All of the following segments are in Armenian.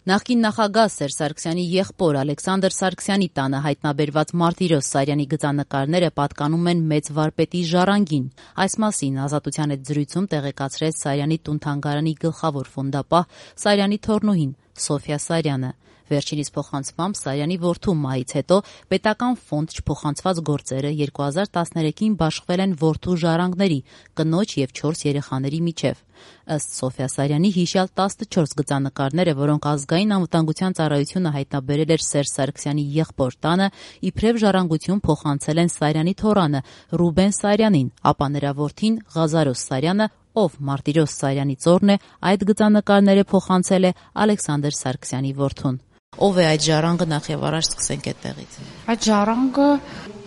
Նախկին նախագահ Սերժ Սարգսյանի եղբոր Ալեքսանդր Սարգսյանի տանը հայտնաբերված Մարտիրոս Սարյանի գծանկարները պատկանում են մեծ վարպետի ժառանգին։ Այս մասին Ազատության հետ զրույցում տեղեկացրեց Սարյանի տուն-թանգարանի գլխավոր ֆոնդապահ Սարյանի թոռնուհին Սոֆյա Սարյանը։ Վերջինիս փոխանցմամբ Սարյանի որդու մահից հետո պետական ֆոնդ չփոխանցված գործերը 2013-ին բաշխվել են որդու ժառանգների, կնոջ և 4 երեխաների միջև։ Ըստ Սոֆյա Սարյանի հիշյալ 14 գծանկարները, որոնք Ազգային անվտանգության ծառայությունը հայտնաբերել էր Սերժ Սարգսյանի եղբոր տանը, իբրև ժառանգություն փոխանցել են Սարյանի թոռանը Ռուբեն Սարյանին, ապա նրա որդին Ղազարոս Սարյանը, ով Մարտիրոս Սարյանի ծոռն է, այդ գծանկարները փոխանցել է Ալեքսանդր Սարգսյանի որդուն։ Ով է այդ ժառանգը, նախ եւ առաջ սկսենք այդտեղից։ Այդ ժառանգը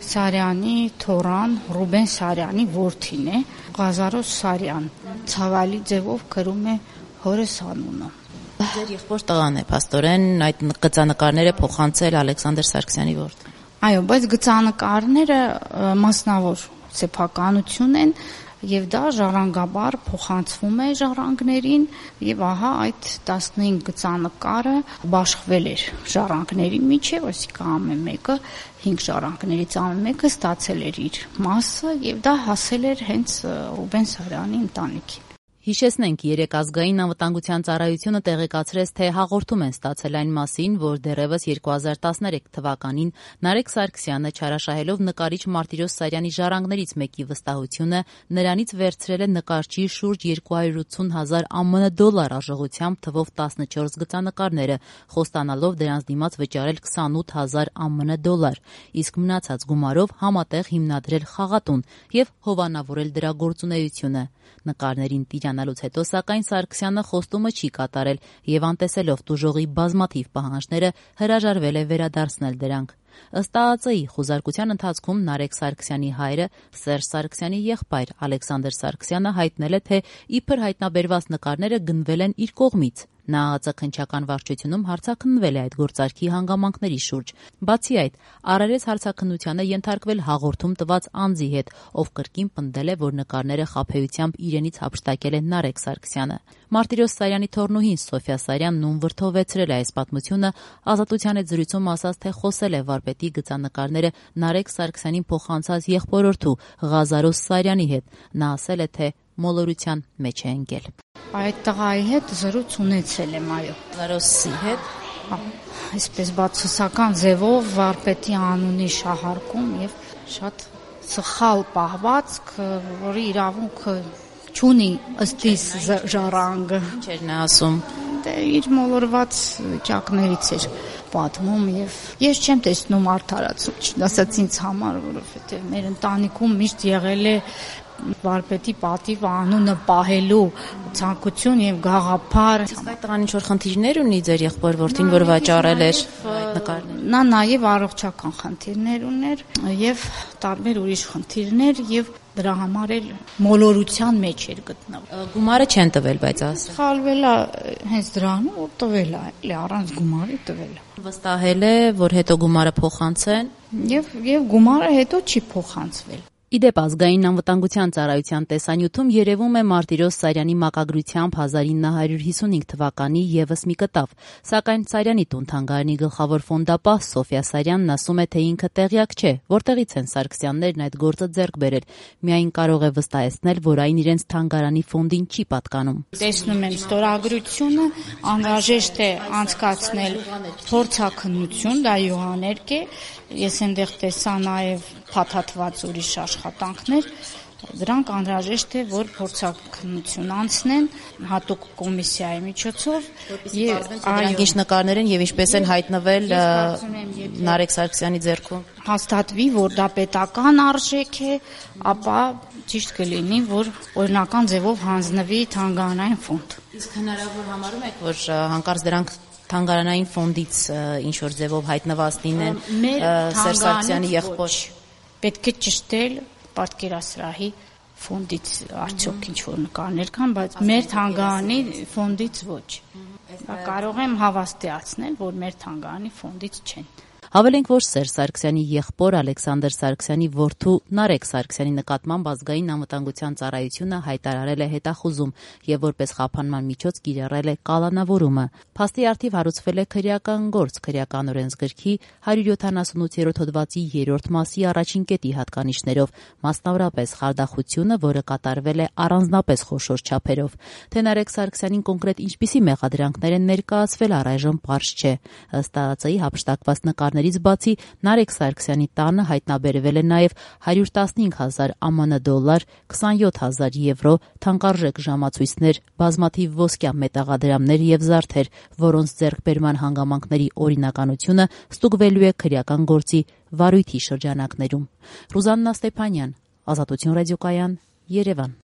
Սարյանի թոռան Ռուբեն Սարյանի որդին է, Ղազարոս Սարյան, ցավալի ձևով գրում է հորս անունը։ Ձեր եղբոր տղան է, փաստորեն, այդ գծանկարները փոխանցել Ալեքսանդր Սարգսյանի որդուն։ Այո, բայց գծանկարները մասնավոր սեփականություն են, եւ դա ժառանգաբար փոխանցվում է ժառանգներին, եւ ահա այդ 15 գծանկարը բաշխվել էր ժառանգների միջև, այսինքն ամեն մեկը 5 ժառանգներից ամեն մեկը ստացել էր իր մասը, եւ դա հասել էր հենց Ռուբեն Սարյանի ընտանիքին։ Հիշեցնենք, երեկ Ազգային անվտանգության ծառայությունը տեղեկացրեց, թե հաղորդում են ստացել այն մասին, որ դեռևս 2013 թվականին Նարեկ Սարգսյանը չարաշահելով նկարիչ Մարտիրոս Սարյանի ժառանգներից մեկի վստահությունը, նրանից վերցրել է նկարչի շուրջ 280,000 ԱՄՆ դոլար արժողությամբ թվով 14 գծանկարները, խոստանալով դրանց դիմաց վճարել 28,000 ԱՄՆ դոլար, իսկ մնացած գումարով համատեղ հիմնադրել խաղատուն եւ հովանավորել դրա գործունեությունը։ Նկարներին տիրանալուց հետո, սակայն Սարգսյանը խոստումը չի կատարել եւ անտեսելով տուժողի բազմաթիվ պահանջները հրաժարվել է վերադարձնել դրանք։ Ըստ ԱԱԾ-ի խուզարկության ընթացքում Նարեկ Սարգսյանի հայրը Սերժ Սարգսյանի եղբայր Ալեքսանդր Սարգսյանը հայտնել է, թե իբր հայտնաբերված նկարները գնվել են իր կողմից։ Նա ԱԱԾ քննչական վարչությունում հարցաքննվել է այդ գործարքի հանգամանքների շուրջ։ Բացի այդ, առերես հարցաքննությանը ենթարկվել հաղորդում տված անձի հետ, ով կրկին պնդել է, որ նկարները խաբեությամբ իրենից հափշտակել է Նարեկ Սարգսյանը։ Մարտիրոս Սարյանի թոռնուհին Սոֆյա Սարյանն ում վրդովեցրել է այս պատմությունը, Ազատության հետ զրույցում ասաց, թե խոսել է վարպետի գծանկարները Նարեկ Սարգսյանին փոխանցած եղբորորդու Ղազարոս Սարյանի հետ։ Նա ասել է, թե մոլորության մեջ է ընկել։ Այդ տղայի հետ զրույց ունեցել եմ, այո։ Ղազարոսի հետ։ Այսպես բացասական ձևով վարպետի անունի շահարկում եւ շատ սխալ պահվածք, որի իրավունքը չունի ըստ իս ժառանգը։ Ինչ էր նա ասում։ Դե իր մոլորված վիճակներից էր պատմում եւ ես չեմ տեսնում արդարացում, ասած ինձ համար, որովհետեւ մեր ընտանիքում միշտ եղել է վարպետի պատիվ անունը պահելու ցանկություն եւ գաղափար։ Իսկ այդ տղան ինչ-որ խնդիրներ ունի ձեր եղբոր որդին, որ վաճառել էր նկարները։ Նա նաեւ առողջական խնդիրներ ուներ եւ տարբեր ուրիշ խնդիրներ եւ դրա համար էլ մոլորության մեջ էր գտնվում։ Գումարը չեն տվել, բայց ասել։ Խալվել է հենց դրանում, որ տվել է, էլի առանց գումարի տվել է։ Վստահել է, որ հետո գումարը փոխանցեն եւ գումարը հետո չի փոխանցվել։ Իդեպ Ազգային անվտանգության ծառայության տեսանյութում երևում է Մարտիրոս Սարյանի մակագրությամբ 1955 թվականի եւս մի կտավ, սակայն Սարյանի տուն-թանգարանի գլխավոր ֆոնդապահ Սոֆյա Սարյանն ասում է, թե ինքը տեղյակ չէ, որտեղից են Սարգսյաններն այդ գործը ձեռք բերել, միայն կարող է վստահեցնել, որ այն իրենց թանգարանի ֆոնդին չի պատկանում։ Տեսնում եմ ստորագրությունը, անհրաժեշտ է անցկացնել փորձաքննություն, դա յուղաներկ է, ես այնտեղ տեսա նաև փաթաթված ուրիշ աշխատանքներ, դրանք անհրաժեշտ է, որ փորձաքննություն անցնեն հատուկ կոմիսիայի միջոցով եւ դրանք ինչ նկարներ են եւ ինչպես են հայտնվել Նարեկ Սարգսյանի ձեռքում։ Հաստատվի, որ դա պետական արժեք է, ապա ճիշտ կլինի, որ օրինական ձևով հանձնվի թանգարանային ֆոնդ։ Իսկ հնարավոր համարում եք, որ հանկարծ դրանք թանգարանային ֆոնդից ինչ որ ձևով հայտնված լինեն Սերժ Սարգսյանի եղբոր։ Պետք է ճշտել պատկերասրահի ֆոնդից արդյոք ինչ որ նկարներ կան, բայց մեր թանգարանի ֆոնդից ոչ։ Կարող եմ հավաստիացնել, որ մեր թանգարանի ֆոնդից չեն։ Հավելենք, որ Սերժ Սարգսյանի եղբոր Ալեքսանդր Սարգսյանի որդու Նարեկ Սարգսյանի նկատմամբ ազգային անվտանգության ծառայությունը հայտարարել է հետախուզում եւ որպես խափանման միջոց կիրառել է կալանավորումը։ Փաստի առթիվ հարուցվել է քրեական գործ քրեական օրենսգրքի 178-րդ հոդվածի 3-րդ մասի առաջին կետի հատկանիշներով, մասնավորապես խարդախությունը, որը կատարվել է առանձնապես խոշոր չափերով։ Թե Նարեկ Սարգսյանին կոնկրետ ինչպիսի մեղադրանքներ են ներկայացվել, առայժմ պարզ չէ։ Ըստ ԱԱԾ-ի հափշտակված նկարներից բացի Նարեկ Սարգսյանի տանը հայտնաբերվել է նաև 115,000 ԱՄՆ դոլար, 27,000 եվրո, թանկարժեք ժամացույցներ, բազմաթիվ ոսկյա մետաղադրամներ եւ զարդեր, որոնց ձեռքբերման հանգամանքների օրինականությունը ստուգվելու է քրեական գործի վարույթի շրջանակներում։ Ռուզաննա Ստեփանյան, Ազատություն ռադիոկայան, Երևան։